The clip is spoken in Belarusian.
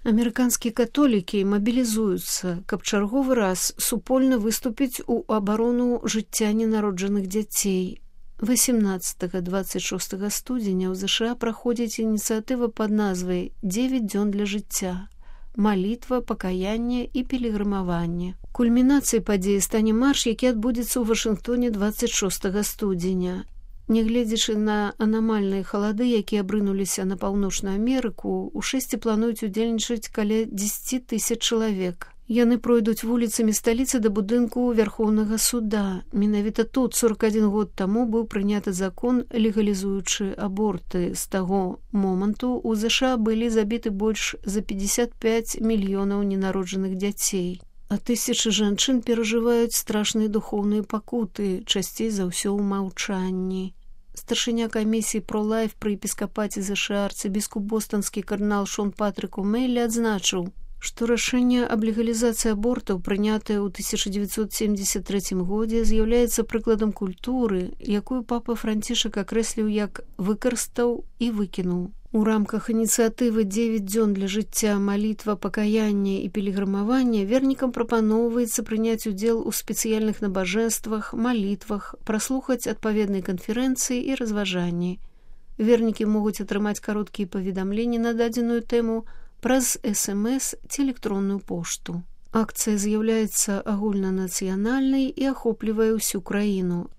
Амерыканскія католікі мабілізуюцца, каб чарговы раз супольна выступіць у абарону жыцця ненароджаных дзяцей. 18-26 студзеня ў ЗША праходзіць ініцыятыва пад назвай «9 дзён для жыцця». Малітва, пакаянне і пілігрымаванне. Кульмінацыяй падзеі стане марш, які адбудзецца ў Вашынгтоне 26 студзеня. Нягледзячы на анамальныя халады, якія абрынуліся на Паўночную Амерыку, у шэсці плануюць удзельнічаць каля 10 000 чалавек. Яны пройдуць вуліцамі сталіцы да будынку Вярхоўнага суда. Менавіта тут 41 год таму быў прыняты закон, легалізуючы аборты. З таго моманту ў ЗША былі забіты больш за 55 мільёнаў ненароджаных дзяцей. А тысячы жанчын перажываюць страшныя духоўныя пакуты, часцей за ўсё ў маўчанні. Старшыня камісіі «Про-лайф» пры епіскапаце ЗША арцыбіскуп бостанскі кардынал Шон Патрык О'Мэллі адзначыў, што рашэнне аб легалізацыі абортаў, прынятае ў 1973 годзе, з'яўляецца прыкладам культуры, якую папа Францішак акрэсліў як «выкарыстаў і выкінуў». У рамках ініцыятывы «9 дзён для жыцця», малітва, пакаянне і пілігрымаванне вернікам прапаноўваецца прыняць удзел у спецыяльных набажэнствах, малітвах, праслухаць адпаведныя канферэнцыі і разважанні. Вернікі могуць атрымаць кароткія паведамленні на дадзеную тэму праз СМС ці электронную пошту. Акцыя з'яўляецца агульнанацыянальнай і ахоплівае ўсю краіну.